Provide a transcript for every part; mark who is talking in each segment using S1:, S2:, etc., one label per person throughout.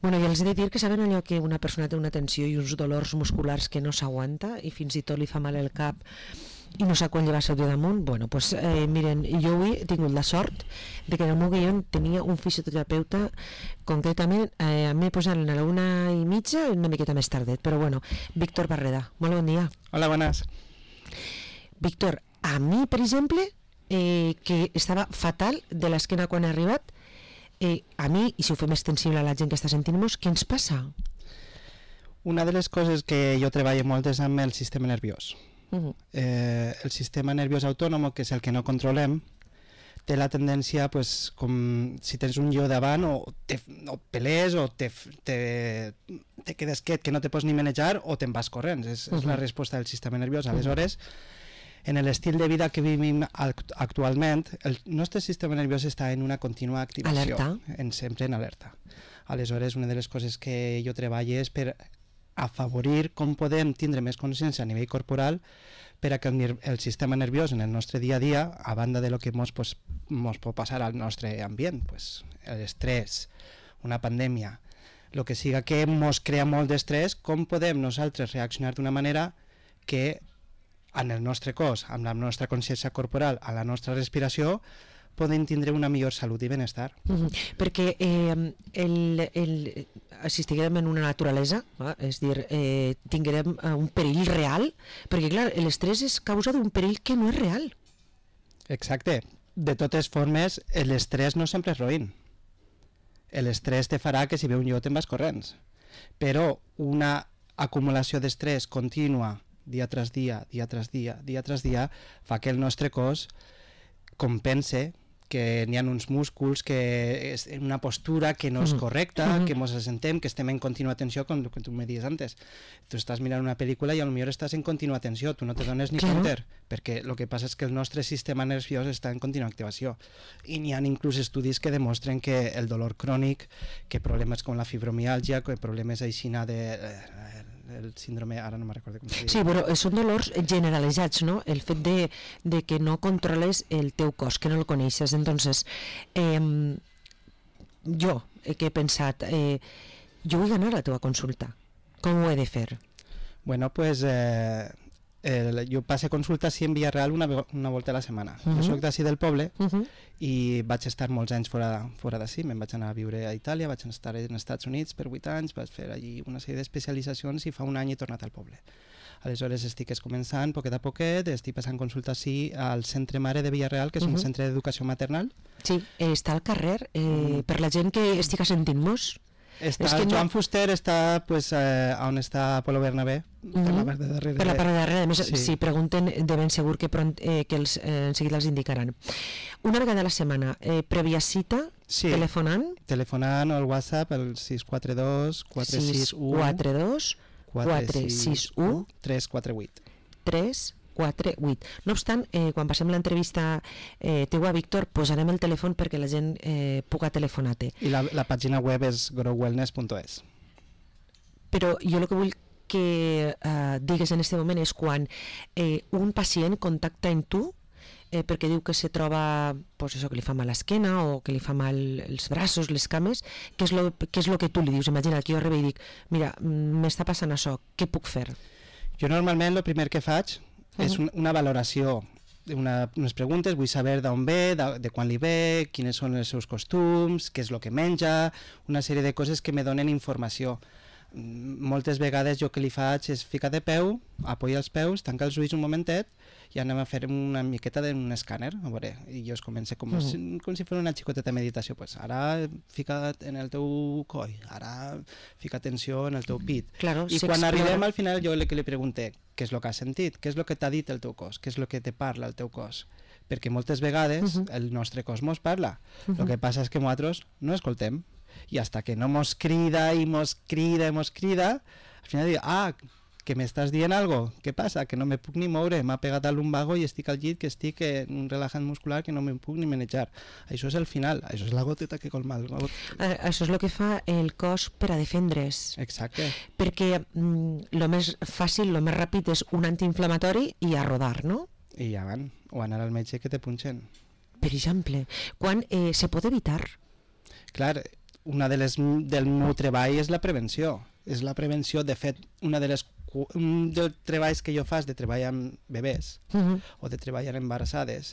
S1: Bueno, i els he de dir que saben allò que una persona té una tensió i uns dolors musculars que no s'aguanta i fins i tot li fa mal el cap i no sap quan llevar-se de damunt. Bueno, pues, miren, jo avui he tingut la sort de que en el meu guió tenia un fisioterapeuta, concretament m'he posat a la 1:30, una miqueta més tardet, però bueno. Víctor Barreda, molt bon dia.
S2: Hola, buenas.
S1: Víctor, a mi, per exemple, que estava fatal de l'esquena quan he arribat, a mi, i si ho fem extensible a la gent que està sentint-nos, què ens passa?
S2: Una de les coses que jo treballo molt és amb el sistema nerviós. El sistema nerviós autònom, que és el que no controlem, té la tendència, pues, com si tens un lleó davant, o pelés o te quedes quiet, que no te pots ni manejar, o te'n vas corrents. És la resposta del sistema nerviós. Aleshores, en l'estil de vida que vivim actualment, el nostre sistema nerviós està en una contínua activació.
S1: Alerta.
S2: Sempre en alerta. Aleshores, una de les coses que jo treballo és per afavorir com podem tindre més consciència a nivell corporal per a que el sistema nerviós en el nostre dia a dia, a banda de lo que mos pot passar al nostre ambient, pues, l'estrès, una pandèmia, el que siga que mos crea molt d'estrès, com podem nosaltres reaccionar d'una manera que en el nostre cos, amb la nostra consciència corporal, a la nostra respiració, podem tindre una millor salut i benestar.
S1: Perquè si estiguem en una naturalesa, és dir, tinguem un perill real, perquè clar, l'estrès és causa d'un perill que no és real.
S2: Exacte. De totes formes, l'estrès no sempre és roïn. L'estrès te farà que si ve un lleó te'n vas corrents. Però una acumulació d'estrès contínua, dia tras dia, dia tras dia, dia tras dia, fa que el nostre cos compense que n'hi ha uns músculs, que és una postura que no és correcta, que ens assentem, que estem en contínua tensió, com tu me dius antes. Tu estàs mirant una pel·lícula i potser estàs en contínua tensió, tu no te dones ni compte, perquè el que passa és que el nostre sistema nerviós està en contínua activació. I n'hi ha inclús estudis que demostren que el dolor crònic, que problemes com la fibromiàlgia, que problemes aixina el síndrome, ara no me'n recordo com se diu.
S1: Sí, però són dolors generalitzats, no? El fet de que no controles el teu cos, que no el coneixes. Entonces, jo que he pensat, jo vull anar a la teva consulta. Com ho he de fer?
S2: Bueno, pues jo passo consulta en Villarreal una volta a la setmana. Jo soc d'ací del poble i vaig estar molts anys fora d'ací. Me'n vaig anar a viure a Itàlia, vaig estar als Estats Units per 8 anys, vaig fer allí una sèrie d'especialitzacions i fa un any he tornat al poble. Aleshores estic començant poquet a poquet, estic passant consulta així al Centre Mare de Villarreal, que és un centre d'educació maternal.
S1: Sí, està al carrer, per la gent que estic sentint-nos.
S2: Joan Fuster està on està Polo Bernabé, per la part de darrere.
S1: Per la part de darrere, a més, si pregunten de ben segur que en seguida els indicaran. Una vegada a la setmana, prèvia cita, telefonant?
S2: Telefonant o al WhatsApp, el 642 461
S1: 461
S2: 348.
S1: 348. No obstant, quan passem l'entrevista teua, Víctor, posarem el telèfon perquè la gent puga telefonar-te.
S2: I la pàgina web és growwellness.es.
S1: Però jo el que vull que digues en aquest moment és quan un pacient contacta amb tu perquè diu que se troba que li fa mal l'esquena o que li fa mal els braços, les cames, què és el que tu li dius? Imagina que jo arribo i dic, mira, m'està passant això, què puc fer?
S2: Jo normalment el primer que faig és una valoració, unes preguntes, vull saber d'on ve, de quan li ve, quins són els seus costums, què és el que menja, una sèrie de coses que me donen informació. Moltes vegades jo que li faig és ficar de peu, apoya els peus, tanca els ulls un momentet i anem a fer una miqueta d'un escàner, a veure, i jo es comença com si fos una xicoteta de meditació, pues ara fica't en el teu coll, ara fica atenció en el teu pit. I quan arribem al final jo li pregunto què és el que has sentit, què és el que t'ha dit el teu cos, què és el que te parla el teu cos, perquè moltes vegades el nostre cos mos parla, el que passa és que nosaltres no escoltem, i hasta que no mos crida i mos crida, al final dic, que m'estàs dient algo, què passa? Que no me puc ni moure, m'ha pegat a lumbago i estic al llit, que estic en un relajant muscular que no me puc ni manejar. Això és el final, això és la goteta que colma el got.
S1: Això és el que fa el cos per a defendre's.
S2: Exacte.
S1: Perquè el més fàcil, el més ràpid és un antiinflamatori i a rodar, no?
S2: I ja van, o anar al metge que te punxen.
S1: Per exemple, quan se pot evitar?
S2: Clar, una del meu treball és la prevenció. És la prevenció, de fet, un dels treballs que jo faig de treballar amb bebès o de treballar embarassades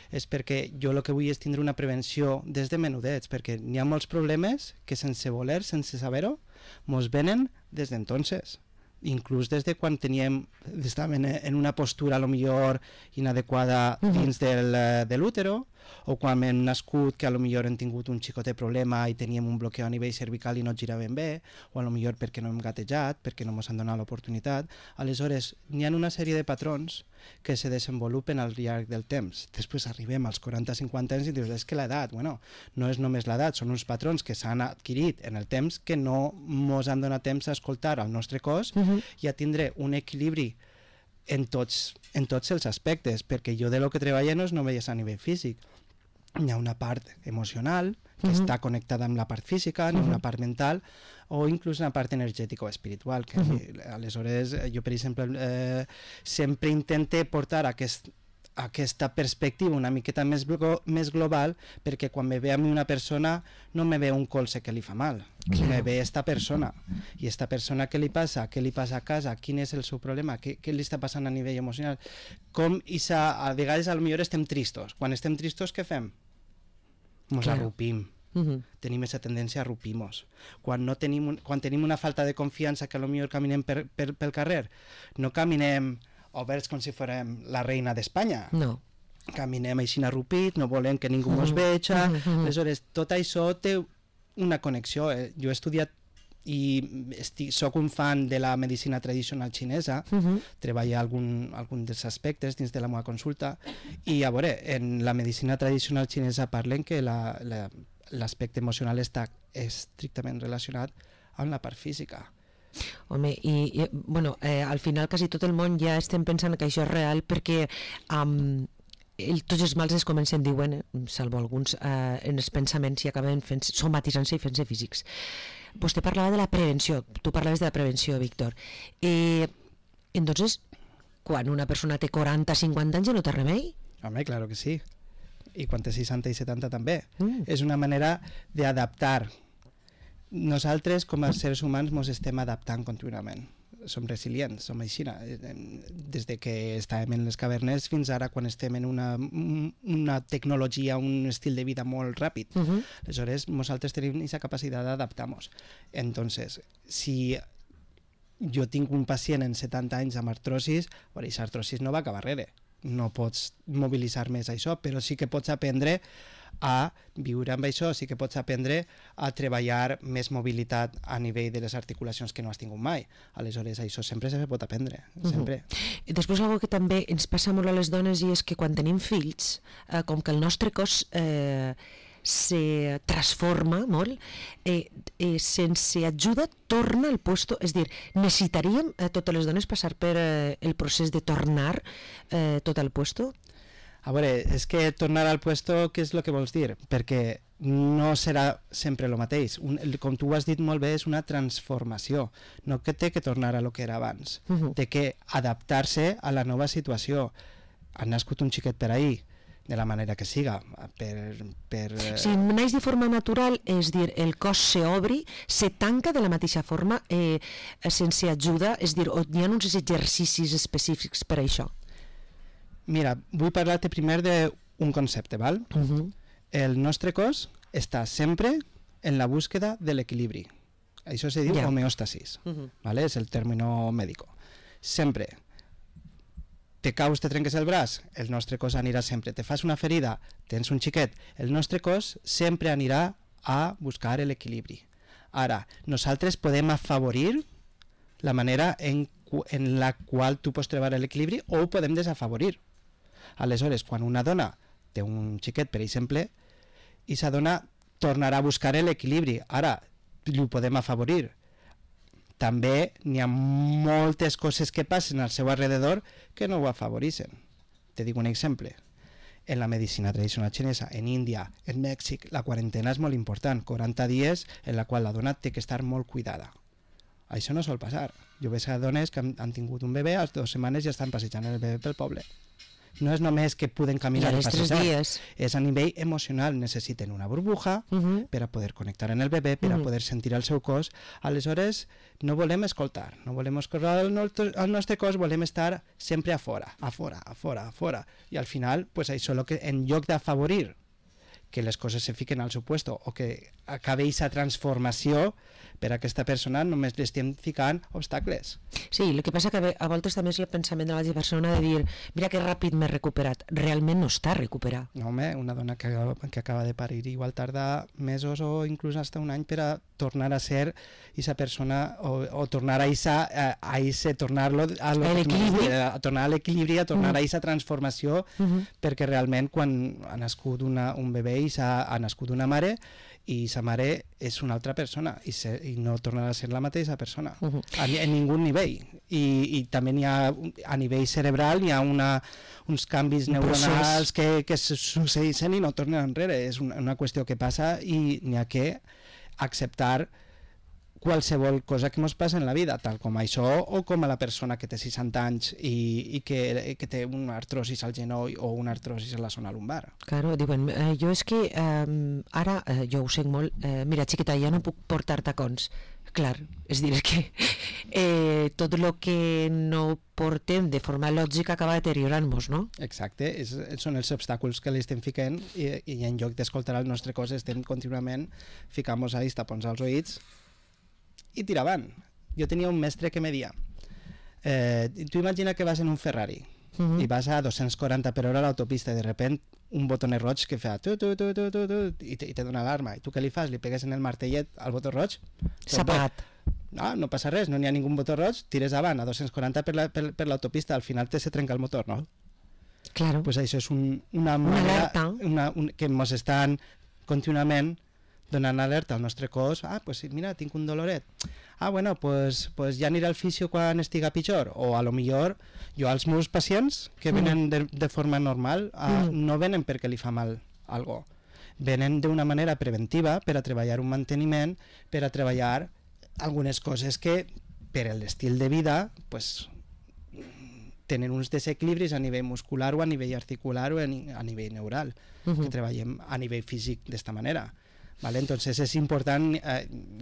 S2: és perquè jo el que vull és tindre una prevenció des de menudets, perquè n'hi ha molts problemes que sense voler, sense saber-ho, mos venen des d'entonces. Inclús des de quan estàvem en una postura a lo millor inadequada dins de l'útero, o quan hem nascut que a lo millor hem tingut un xicotet problema i teníem un bloqueo a nivell cervical i no giràvem bé, o a lo millor perquè no hem gatejat, perquè no ens han donat l'oportunitat. Aleshores, n'hi ha una sèrie de patrons que se desenvolupen al llarg del temps. Després arribem als 40-50 anys i dius, és que l'edat, bueno, no és només l'edat, són uns patrons que s'han adquirit en el temps que no ens han donat temps a escoltar el nostre cos i a tindre un equilibri en tots els aspectes, perquè jo de lo que treballo no és només a nivell físic. Hi ha una part emocional que està connectada amb la part física, hi ha una part mental o inclús una part energètica o espiritual. Que aleshores jo, per exemple, sempre intente portar aquesta perspectiva una miqueta més global, perquè quan me ve a mi una persona no me ve un colze que li fa mal, me ve esta persona, i esta persona què li passa a casa, quin és el seu problema, què li està passant a nivell emocional, a vegades potser estem tristos. Quan estem tristos què fem? Ens arrupim. Tenim aquesta tendència a arrupir-nos. Quan tenim una falta de confiança, que potser caminem pel carrer, no caminem oberts com si fórem la reina d'Espanya.
S1: No.
S2: Caminem així arrupits, no volem que ningú ens vegi. Aleshores, tot això té una connexió. Jo he estudiat i soc un fan de la medicina tradicional xinesa, treballo algun dels aspectes dins de la meva consulta, i a veure, en la medicina tradicional xinesa parlen que l'aspecte emocional està estrictament relacionat amb la part física.
S1: Home, bueno, al final quasi tot el món ja estem pensant que això és real, perquè tots els mals es comencen, diuen, salvo alguns, en els pensaments i acaben somatitzant-se i fent-se físics. Vostè parlava de la prevenció, tu parlaves de la prevenció, Víctor. Entonces, quan una persona té 40-50 anys ja no té remei?
S2: Home, claro que sí. I quan té 60 i 70 també. És una manera d'adaptar. Nosaltres, com a seres humans, ens estem adaptant contínuament. Som resilients, som així. Des de que estàvem en les cavernes fins ara, quan estem en una tecnologia, un estil de vida molt ràpid. Aleshores, nosaltres tenim aquesta capacitat d'adaptar-nos. Entonces, si jo tinc un pacient en 70 anys amb artrosis, aquesta artrosis no va acabar res. No pots mobilitzar més això, però sí que pots aprendre a viure amb això, sí que pots aprendre a treballar més mobilitat a nivell de les articulacions que no has tingut mai. Aleshores, això sempre se pot aprendre, sempre.
S1: Després, una cosa que també ens passa molt a les dones i és que quan tenim fills, com que el nostre cos se transforma molt, sense ajuda torna al puesto, és dir, necessitaríem totes les dones passar per el procés de tornar tot al puesto?
S2: A veure, és que tornar al puesto, què és el que vols dir? Perquè no serà sempre el mateix. Com tu ho has dit molt bé, és una transformació. No que té que tornar a lo que era abans. Té que adaptar-se a la nova situació. Ha nascut un xiquet per ahir, de la manera que siga.
S1: Si naix de forma natural, és dir, el cos s'obri, se tanca de la mateixa forma, sense ajuda, és dir, hi ha uns exercicis específics per a això?
S2: Mira, vull parlar-te primer d'un concepte, val? El nostre cos està sempre en la búsqueda de l'equilibri. Això se diu homeostasis, ¿vale? És el término médico. Sempre. Te caus, te trenques el braç, el nostre cos anirà sempre. Te fas una ferida, tens un xiquet, el nostre cos sempre anirà a buscar l'equilibri. Ara, nosaltres podem afavorir la manera en la qual tu pots trobar l'equilibri o ho podem desafavorir. Aleshores, quan una dona té un xiquet, per exemple, i sa dona tornarà a buscar l'equilibri. Ara, ho podem afavorir. També n'hi ha moltes coses que passen al seu alrededor que no ho afavoreixen. Te dic un exemple. En la medicina tradicional xinesa, en Índia, en Mèxic, la quarantena és molt important. 40 dies en la qual la dona té que estar molt cuidada. Això no sol passar. Jo veig a dones que han tingut un bebè, a les 2 setmanes ja estan passejant el bebè pel poble. no és només que poden caminar
S1: I
S2: i
S1: als 3
S2: passejar,
S1: dies.
S2: és a nivell emocional, necessiten una burbuja per a poder connectar amb el bebè, per a poder sentir el seu cos. Aleshores, no volem escoltar, no volem escoltar el nostre cos, volem estar sempre a fora. I al final, pues això és el que en lloc d'afavorir que les coses se fiquen al seu puesto o que acabi aquesta transformació, per a aquesta persona només li estem ficant obstacles.
S1: Sí, el que passa que a voltes també és el pensament de l'altra persona de dir, mira que ràpid m'he recuperat. Realment no està recuperat.
S2: No, home, una dona que acaba de parir igual tarda mesos o inclús hasta un any per a tornar a ser aquesta persona o tornar a tornar-lo a tornar a l'equilibri, a tornar a aquesta transformació, perquè realment quan ha nascut un bebè i ha nascut una mare, i sa mare és una altra persona i no tornarà a ser la mateixa persona en ningú nivell, i també n'hi ha a nivell cerebral, hi ha uns canvis neuronals que succeeixen i no tornen enrere. És una qüestió que passa i n'hi ha que acceptar qualsevol cosa que ens passa en la vida, tal com això o com a la persona que té 60 anys i que té una artrosis al genoll o una artrosis a la zona lumbar.
S1: Claro, diuen, jo és que ara, jo ho sé molt, mira xiqueta, ja no puc portar tacons. Clar, és dir, que tot el que no portem de forma lògica acaba deteriorant-nos, no?
S2: Exacte, són els obstacles que li estem ficant i en lloc d'escoltar el nostre cos estem contínuament ficant-nos a tapons als oïts i tirar avant. Jo tenia un mestre que me deia, tu imagina que vas en un Ferrari i vas a 240 per hora a l'autopista i de repente un botonet roig que fa i te dona alarma. I tu què li fas? Li pegues en el martellet al botó roig?
S1: S'ha apagat.
S2: No passa res, no n'hi ha ningú botó roig, tires avant a 240 per l'autopista, al final se trenca el motor, no?
S1: Claro.
S2: Pues això és una manera que ens estan contínuament donant alerta al nostre cos. Pues mira, tinc un doloret. Bueno, pues ja aniré al fisio quan estiga pitjor. O a lo millor jo als meus pacients que venen de forma normal no venen perquè li fa mal algo. Venen d'una manera preventiva per a treballar un manteniment, per a treballar algunes coses que per l'estil de vida pues tenen uns desequilibris a nivell muscular o a nivell articular o a nivell neural, que treballem a nivell físic d'esta manera. Vale? Entonces és important,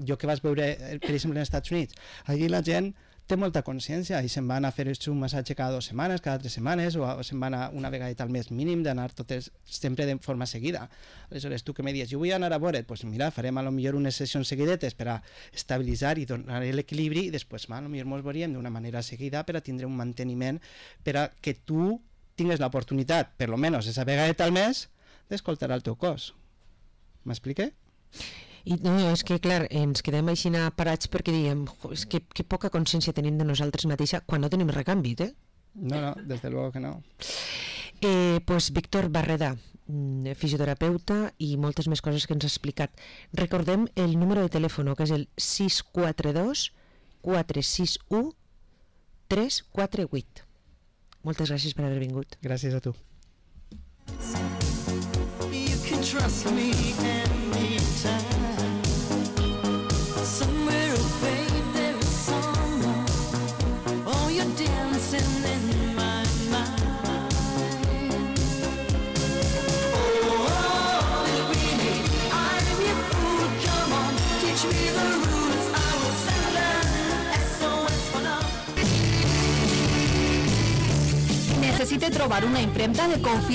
S2: jo que vas veure per exemple als Estats Units, allí la gent té molta consciència i se'n van a fer un massatge cada 2 setmanes, cada 3 setmanes o se'n van a una vegada al mes mínim d'anar totes sempre de forma seguida. Aleshores tu que me dius, jo vull anar a veure't, doncs mira, farem a lo millor unes sessions seguidetes per a estabilitzar i donar l'equilibri i després a lo millor ens veuríem d'una manera seguida per a tindre un manteniment per a que tu tingues l'oportunitat, per lo menos esa vegada al mes, d'escoltar el teu cos. M'explique?
S1: I no, és que clar, ens quedem així parats perquè diem, és que poca consciència tenim de nosaltres mateixa quan no tenim recanvi,
S2: No, desde luego que no.
S1: Pues Víctor Barreda, fisioterapeuta i moltes més coses que ens ha explicat. Recordem el número de telèfon, que és el 642 461 348. Moltes gràcies per haver vingut.
S2: Gràcies a tu.
S3: You can trust me anytime. Somewhere away there is someone. Oh, you're dancing in my mind. Oh, little Queenie, I'm your fool. Come on, teach me the rules. I will send an SOS for love.
S4: Necessite trobar una impremta de confiança